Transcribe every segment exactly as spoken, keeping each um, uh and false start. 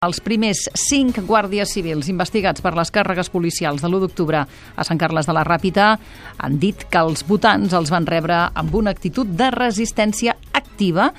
Els primers cinc guàrdies civils investigats per les càrregues policials de l'u d'octubre a Sant Carles de la Ràpita han dit que els votants els van rebre amb una actitud de resistència activa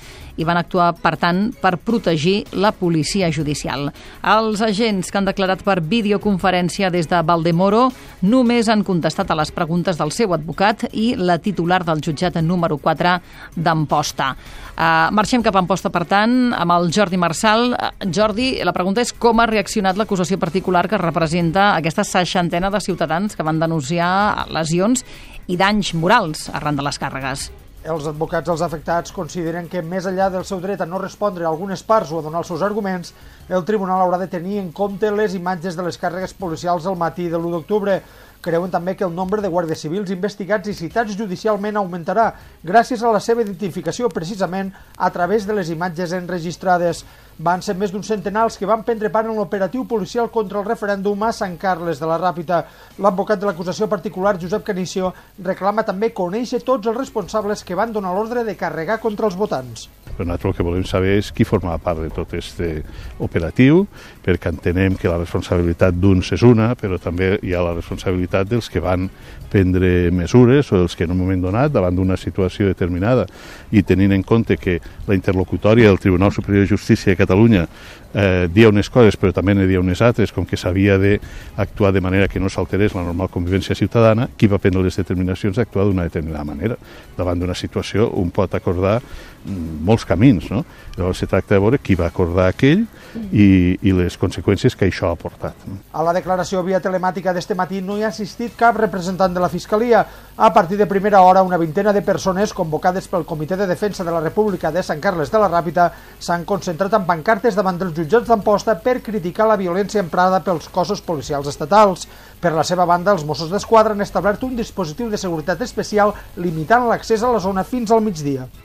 i van actuar, per tant, per protegir la policia judicial. Els agents que han declarat per videoconferència des de Valdemoro només han contestat a les preguntes del seu advocat i la titular del jutjat número quatre d'Amposta. Uh, marxem cap a Amposta, per tant, amb el Jordi Marçal. Uh, Jordi, la pregunta és com ha reaccionat l'acusació particular que representa aquesta seixantena de ciutadans que van denunciar lesions i danys morals arran de les càrregues. Els advocats dels afectats consideren que, més enllà del seu dret a no respondre a algunes parts o a donar els seus arguments, el tribunal haurà de tenir en compte les imatges de les càrregues policials al matí de l'u d'octubre. Creuen també que el nombre de guàrdies civils investigats i citats judicialment augmentarà gràcies a la seva identificació precisament a través de les imatges enregistrades. Van ser més d'un centenar els que van prendre part en l'operatiu policial contra el referèndum a Sant Carles de la Ràpita. L'advocat de l'acusació particular, Josep Canicio, reclama també conèixer tots els responsables que van donar l'ordre de carregar contra els votants. Però nosaltres el que volem saber és qui formava part de tot aquest operatiu, perquè entenem que la responsabilitat d'uns és una, però també hi ha la responsabilitat dels que van prendre mesures o dels que en un moment donat, davant d'una situació determinada, i tenint en compte que la interlocutòria del Tribunal Superior de Justícia de Catalunya eh, dia unes coses però també ne dia unes altres, com que s'havia d'actuar de manera que no s'alterés la normal convivència ciutadana, qui va prendre les determinacions d'actuar d'una determinada manera. Davant d'una situació un pot acordar molts camins, no? Llavors se tracta de veure qui va acordar aquell i, i les conseqüències que això ha portat. No? A la declaració via telemàtica d'este matí no hi ha assistit cap representant de la Fiscalia. A partir de primera hora, una vintena de persones convocades pel Comitè de Defensa de la República de Sant Carles de la Ràpita s'han concentrat en pancartes davant dels jutjats d'Amposta per criticar la violència emprada pels cossos policials estatals. Per la seva banda, els Mossos d'Esquadra han establert un dispositiu de seguretat especial limitant l'accés a la zona fins al migdia.